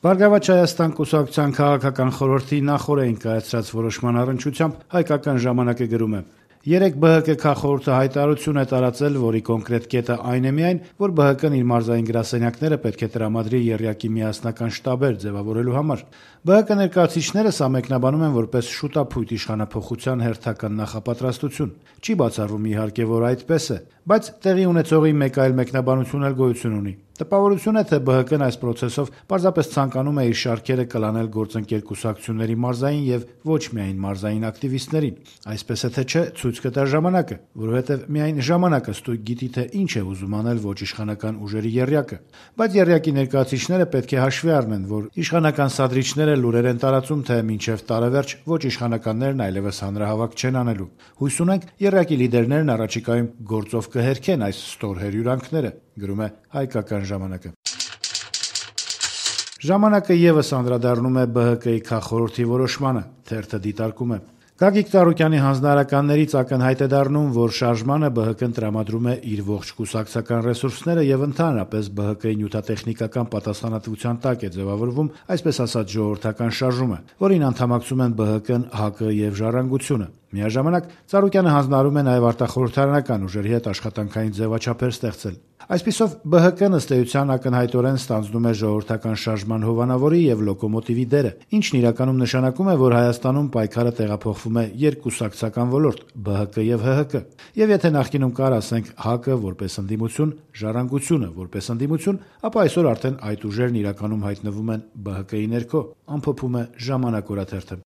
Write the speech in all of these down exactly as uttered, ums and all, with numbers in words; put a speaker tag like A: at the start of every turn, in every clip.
A: Բարգավաճ Հայաստան կուսակցության քաղաքական խորհրդի նախօրեին կայացրած որոշման առնչությամբ «Հայկական ժամանակ»-ը գրում է. Երեկ Բ Հ Կ քաղխորհուրդը հայտարարություն է տարածել, որի կոնկրետ կետը այն է միայն, որ Բ Հ Կ-ն իր մարզային գրասենյակները պետք է տրամադրի եռյակի միասնական շտաբեր ձևավորելու համար։ Բ Հ Կ ներկայացուցիչները սա մեկնաբանում են որպես շուտափույթ իշխանափոխության հերթական նախապատրաստություն։ Չի բացառվում իհարկե, որ այդպես է, բայց տեղի ունեցողի մեկ այլ մեկնաբանություն էլ գոյություն ունի։ Տպավորություն է, թե Բ Հ Կ-ն այս պրոցեսով պարզապես ցանկանում է իր շարքերը կլանել գործընկեր կուսակցությունների մարզային եւ ոչ միայն մարզային ակտիվիստներին։ Այսպես է թե չէ, ցույց կտա ժամանակը, որովհետեւ միայն ժամանակը ստույգ գիտի, թե ինչ է ուզում անել ոչ իշխանական ուժերի եռյակը։ Բայց եռյակի ներկայացուցիչները պետք է հաշվի առնեն, որ իշխանական սադրիչները լուրեր են տարածում, թե մինչեւ տարեվերջ ոչ իշխանականներն այլևս հանրահավաք չեն անելու։ Հույս ունենք, եռյակի լիդերներն առաջիկայում գործով կհերքեն այս ստոր հերյուրանքները, գրում է Հայկական ժամանակը։ Ժամանակը եւս անդրադառնում է Բ Հ Կ-ի քաղխորհրդի որոշմանը, թերթը դիտարկում է. Գագիկ Ծառուկյանի հանձնարարականներից ակնհայտ է դառնում, որ շարժմանը Բ Հ Կ-ն տրամադրում է իր ողջ կուսակցական ռեսուրսները եւ ընդհանրապես Բ Հ Կ-ի նյութատեխնիկական պատասխանատվության տակ է ձևավորվում, այսպես ասած, ժողովրդական շարժումը, որին անդամակցում են Բ Հ Կ-ն, Հ Կ եւ Ժառանգությունը։ Միաժամանակ Ծառուկյանը հանձնարարում է նաեւ արտախորհրդարանական ուժերի հետ աշխատանքային ձևաչափեր ստեղծել։ Այսպիսով Բ Հ Կ-ն ըստ էության ակնհայտորեն ստանձնում է ժողովրդական շարժման հովանավորի եւ լոկոմոտիվի դերը, ինչն իրականում նշանակում է, որ Հայաստանում պայքարը տեղափոխվում է երկկուսակցական ոլորտ՝ Բ Հ Կ եւ Հ Հ Կ։ Եվ եթե նախկինում կար, ասենք, Հ Կ որպես ընդդիմություն, Ժառանգությունը որպես ընդդիմություն, ապա այսօր արդեն այդ ուժերն իրականում հայտնվում են Բ Հ Կ-ի ներքո, ամփոփում է Ժամանակ օրաթերթը։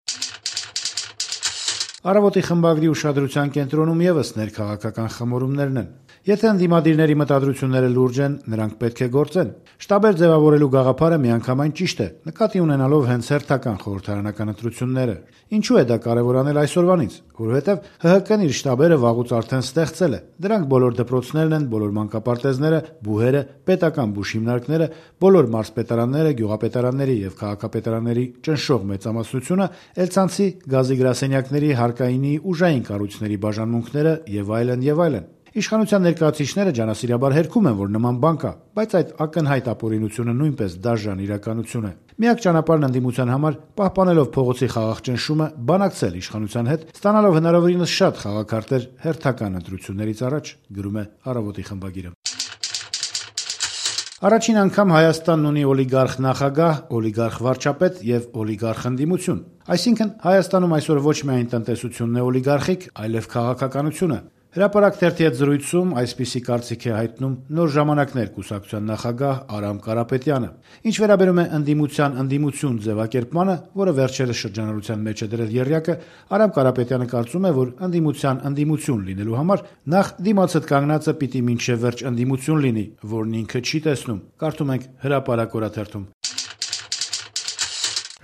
A: Առավոտի խմբագրի ուշադրության կենտրոնում եւս ներքաղաքական խմորումներն են։ Եթե ընդդիմադիրների մտադրությունները լուրջ են, նրանք պետք է գործեն։ Շտաբեր ձևավորելու գաղափարը միանգամայն ճիշտ է, նկատի ունենալով հենց հերթական խորհրդարանական ընտրությունները։ Ինչու է դա կարևոր անել այսօրվանից, որովհետեւ Հ Հ Կ-ն իր շտաբերը վաղուց արդեն ստեղծել է։ Դրանք բոլոր դպրոցներն են, բոլոր մանկապարտեզները, բուհերը, պետական բուժհիմնարկները, բոլոր մարզպետարանները, գյուղապետարանների եւ քաղաքապետարանների ճնշող մեծամասնությունը, Էլցանցի, գազի գրասենյակների, հարկայինի, ուժային կառույցների բաժանմունքները եւ այլն եւ այլն։ Իշխանության ներկայացուցիչները ջանասիրաբար հերքում են, որ նման բան կա, բայց այդ ակնհայտ ապօրինությունը նույնպես դաժան իրականություն է։ Միակ ճանապարհն ընդդիմության համար, պահպանելով փողոցի խաղաղ ճնշումը, բանակցել իշխանության հետ, ստանալով հնարավորինս շատ խաղաքարտեր հերթական ընտրություններից առաջ, գրում է Առավոտի խմբագիրը։ Առաջին անգամ Հայաստանն ունի օլիգարխ նախագահ, օլիգարխ վարչապետ եւ օլիգարխ ընդդիմություն։ Այսինքն Հայաստանում այսօր ոչ միայն տնտեսությունն է օլիգարխիկ, այլև քաղաքականությունը։ Հրապարակ թերթի հետ զրույցում այսպիսի կարծիք է հայտնում Նոր ժամանակներ կուսակցության նախագահ Արամ Կարապետյանը։ Ինչ վերաբերում է ընդդիմության ընդդիմություն ձևակերպմանը, որը վերջերս շրջանառության մեջ է դրել եռյակը, Արամ Կարապետյանը կարծում է, որ ընդդիմության ընդդիմություն լինելու համար նախ դիմացդ կանգնածը պիտի մինչև վերջ ընդդիմություն լինի, որն ինքը չի տեսնում։ Կարդում ենք Հրապարակ օրաթերթում։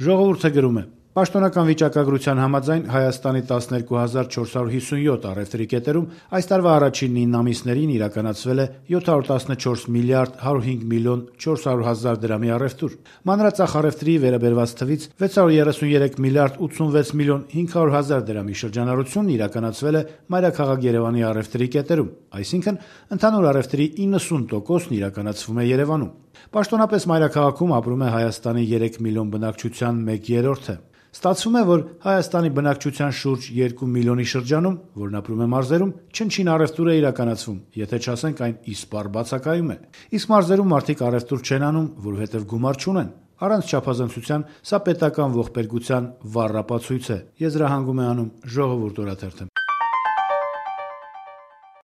A: Ժողովուրդը գրում է. Պաշտոնական վիճակագրության համաձայն Հայաստանի տասներկու հազար չորս հարյուր հիսունյոթ առևտրի կետերում այս տարվա առաջին նույն ամիսներին իրականացվել է յոթ հարյուր տասնչորս միլիարդ հարյուր հինգ միլիոն չորս հարյուր հազար դրամի առևտուր։ Մանրածախ առևտրի վերաբերված թվից վեց հարյուր երեսունյերեք միլիարդ ութսունվեց միլիոն հինգ հարյուր հազար դրամի շրջանառությունն իրականացվել է մայրաքաղաք Երևանի առևտրի կետերում, այսինքն ընդհանուր առևտրի իննսուն տոկոսն իրականացվում է Երևանում։ Պաշտոնապես մայրաքաղաքում ապրում է Հայաստանի երեք միլիոն բնակչության մեկ երրորդը։ Ստացվում է, որ Հայաստանի բնակչության շուրջ երկու միլիոնի շրջանում, որն ապրում է մարզերում, չնչին առևտուր է իրականացվում, եթե չասենք այն իսպառ բացակայում է։ Իսկ մարզերում մարդիկ առևտուր չեն անում, որովհետև գումար չունեն։ Առանց չափազանցության սա պետական ողբերգության վառ ապացույց է, եզրահանգում է անում Ժողովուրդ օրաթերթը։